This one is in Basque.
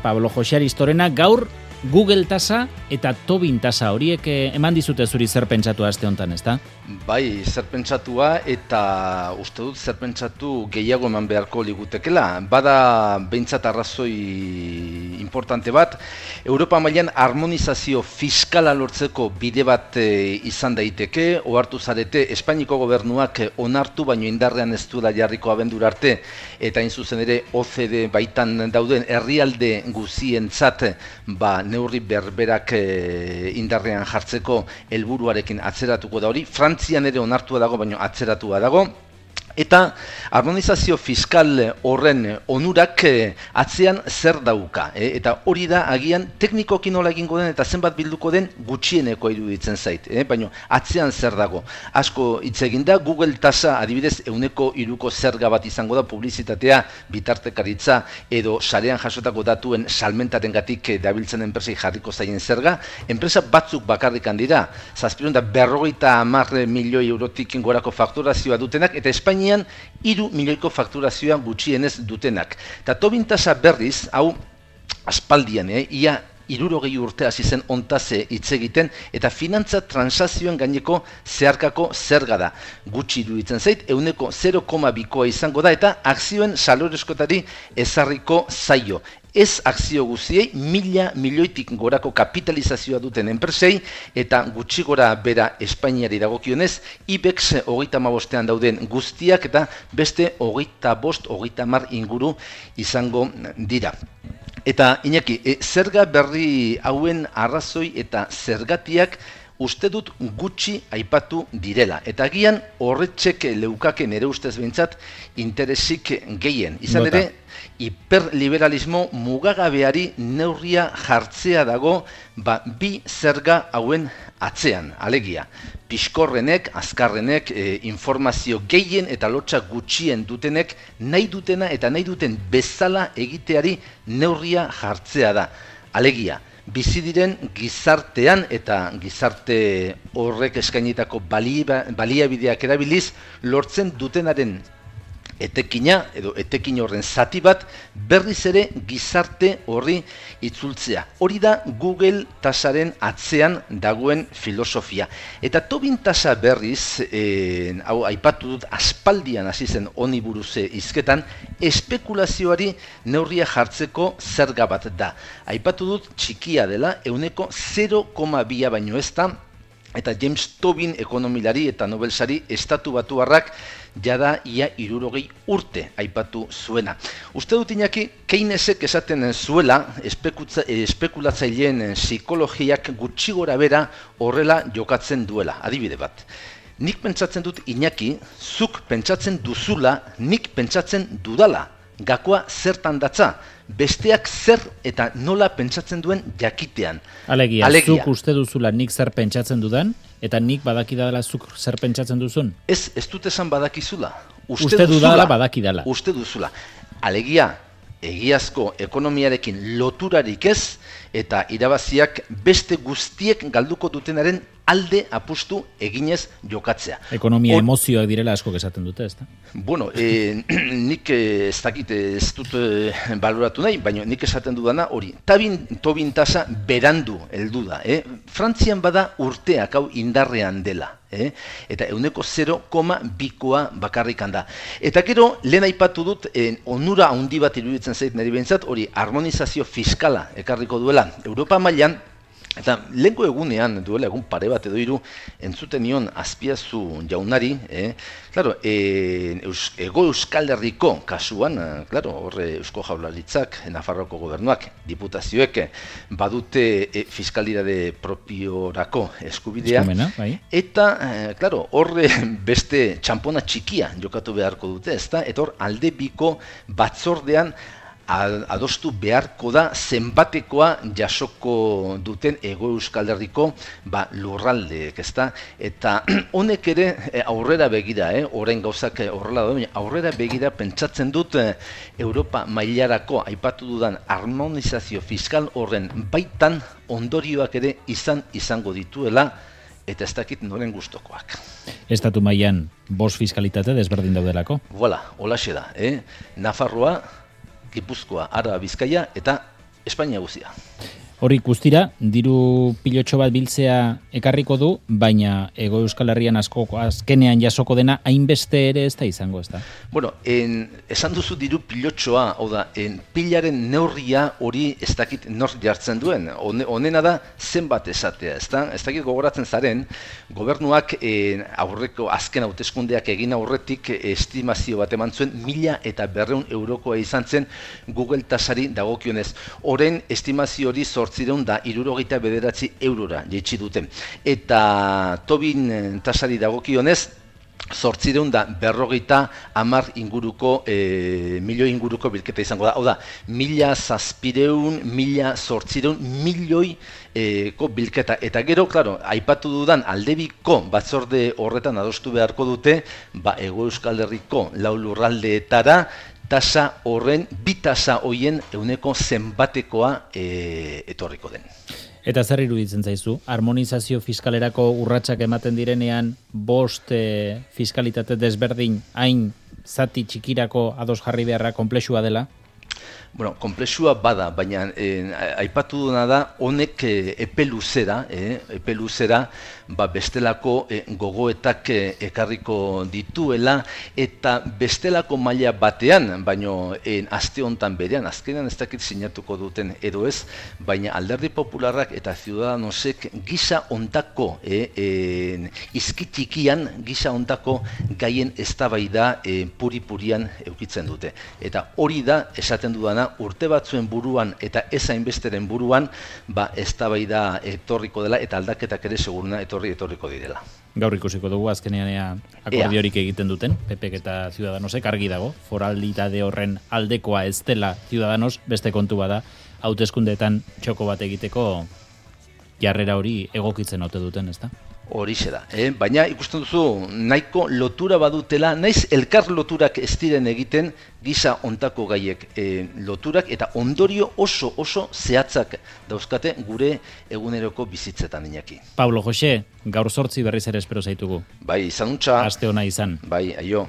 Pablo Jose Aristorena, gaur Google tasa eta Tobin tasa horiek eman dizute zuri zer pentsatu aste hontan, ezta? Bai, zer pentsatua eta uste dut zer pentsatu gehiago eman beharko ligutekela. Bada behintzat arrazoi importante bat, Europa mailan harmonizazio fiskala lortzeko bide bat izan daiteke, ohartu zarete Espainiako gobernuak onartu baino indarrean ez duela jarriko abendura arte, eta hain zuzen ere OCDE baitan dauden herrialde guzientzat neurri berberak indarrean jartzeko helburuarekin atzeratuko da hori. Frantzian ere onartua dago, baina atzeratua dago. Eta harmonizazio fiskal horren onurak atzean zer dauka. Eta hori da agian teknikoki nola egingo den eta zenbat bilduko den gutxieneko iruditzen zait. Baina atzean zer dago. Asko hitz egin da, Google tasa adibidez 103ko zerga bat izango da, publizitatea, bitartekaritza edo sarean jasotako datuen salmentarengatik dabiltzen enpresei jarriko zaien zerga. Enpresa batzuk bakarrikan dira, 750 milioi eurotik gorako fakturazioa dutenak, eta Espainian 3 milioiko fakturazioa gutxienez dutenak. Eta Tobin tasa berriz, hau aspaldian, ia 60 urte hasi zen ontaz hitz egiten, eta finantza transakzioen gaineko zeharkako zerga da. Gutxi iruditzen zait, 0,2koa izango da, eta akzioen saloreskotari ezarriko zaio. Ez akzio guziei 1.000 milioitik gorako kapitalizazioa duten enpresei, eta gutxi gora bera Espainiari dagokionez, IBEX 35ean dauden guztiak eta beste 25-30 inguru izango dira. Eta Iñaki, zerga berri hauen arrazoi eta zergatiak uste dut gutxi aipatu direla. Eta agian horretxek leukaken ere ustez behintzat interesik gehien. Izan ere, hiperliberalismo mugagabeari neurria jartzea dago bi zerga hauen atzean. Alegia, piskorrenek, azkarrenek, informazio gehien eta lotsa gutxien dutenek nahi dutena eta nahi duten bezala egiteari neurria jartzea da. Alegia, bizi diren gizartean eta gizarte horrek eskainitako baliabideak erabiliz lortzen dutenaren etekina edo etekin horren zati bat berriz ere gizarte horri itzultzea. Hori da Google tasaren atzean dagoen filosofia. Eta Tobin tasa berriz, hau aipatu dut aspaldian hasi zen honi buruz hizketan, espekulazioari neurria jartzeko zerga bat da. Aipatu dut txikia dela, 0,2 baino ez da, eta James Tobin ekonomilari eta Nobelsari estatu batuarrak jada ia 60 urte aipatu zuena. Uste dut Iñaki, Keynesek esaten zuela, espekulatzaileen psikologiak gutxi gora bera horrela jokatzen duela. Adibide bat. Nik pentsatzen dut Iñaki, zuk pentsatzen duzula, nik pentsatzen dudala. Gakoa zertan datza, besteak zer eta nola pentsatzen duen jakitean. Alegia, zuk uste duzula nik zer pentsatzen dudan, eta nik badakidala zuk zer pentsatzen duzun? Ez dut esan badakizula. Uste dudala badakidala. Uste duzula. Alegia, egiazko ekonomiarekin loturarik ez, eta irabaziak beste guztiek galduko dutenaren alde apustu eginez jokatzea. Ekonomia emozioak direla asko esaten dute, ezta? Bueno, nik ez dakit ez dut baloratu nahi, baina nik esaten dudana hori. Tobin tasa berandu heldu da. Frantzian bada urteak hau indarrean dela. Eta 0,2koa bakarrikan da. Eta gero, lehen aipatu dut, onura handi bat iruditzen zait niri behintzat, hori harmonizazio fiskala ekarriko duela Europa mailan. Eta lehenko egunean, duela egun pare bat edo hiru, entzuten nion Azpiazu jaunari, Hego Euskal Herriko kasuan, horre Eusko Jaurlaritzak, Nafarroako gobernuak, diputazioek badute fiskalidade propiorako eskubidea. Eta, horre beste txampona txikia jokatu beharko dute, ezta? Eta hor alde biko batzordean adostu beharko da zenbatekoa jasoko duten Hego Euskal Herriko lurraldeek, ezta? Eta honek ere aurrera begira, orain gauzak horrela da, aurrera begira pentsatzen dut Europa mailarako aipatu dudan harmonizazio fiskal horren baitan ondorioak ere izango dituela, eta ez dakit noren gustokoak. Estatu mailan 5 fiskalitate desberdin daudelako? Voilà, holaxe da, Nafarroa, Gipuzkoa, Araba, Bizkaia eta Espainia guztia. Hori guztira, diru pilotxo bat biltzea ekarriko du, baina Hego Euskal Herrian azkenean jasoko dena hainbeste ere ez da izango, ez da? Bueno, esan duzu diru pilotxoa, hau da, pilaren neurria hori ez dakit nor jartzen duen. Honena da zenbat esatea, ez da? Ez dakit gogoratzen zaren, gobernuak aurreko azken hauteskundeak egin aurretik estimazio bat eman zuen 1.200 eurokoa izan zen Google tasari dagokionez. Orain estimazio hori 869 eurora jaitsi dute. Eta Tobin tasari dagokionez, 850 inguruko, milioi inguruko bilketa izango da. Hau da, 1.700, 1.800 milioiko bilketa. Eta gero, klaro, aipatu dudan aldebiko batzorde horretan adostu beharko dute, Hego Euskal Herriko 4 lurraldeetara, tasa horren, bi tasa hoien euneko zenbatekoa etorriko den. Eta zer iruditzen zaizu? Harmonizazio fiskalerako urratsak ematen direnean 5 fiskalitate desberdin hain zati txikirako ados jarri beharra konplexua dela? Bueno, konplexua bada, baina aipatu duna da honek epe luzera bestelako gogoetak ekarriko dituela eta bestelako maila batean, baino aste hontan berean, azkenean ez dakit sinatuko duten edo ez, baina Alderdi Popularrak eta Ciudadanosek gisa hontako izkitikian, gisa hontako gaien eztabaida puri-purian eukitzen dute. Eta hori da, esaten dudana, urte batzuen buruan eta ez hainbesteren buruan, eztabaida etorriko dela eta aldaketak ere seguruna etorriko direla. Gaur ikusiko dugu azkenean akordiorik egiten duten, PPek eta Ciudadanosek, argi dago, foralitate horren aldekoa ez dela Ciudadanos, beste kontu bada, hauteskundeetan txoko bat egiteko jarrera hori egokitzen ote duten, ezta? Horixe da, baina ikusten duzu nahiko lotura badutela, naiz elkar loturak ez diren egiten gisa hontako gaiek loturak eta ondorio oso zehatzak dauzkate gure eguneroko bizitzetan, Iñaki. Pablo Jose, gaur 8 berriz ere espero zaitugu. Bai, izan untxa. Aste ona izan. Bai, aio.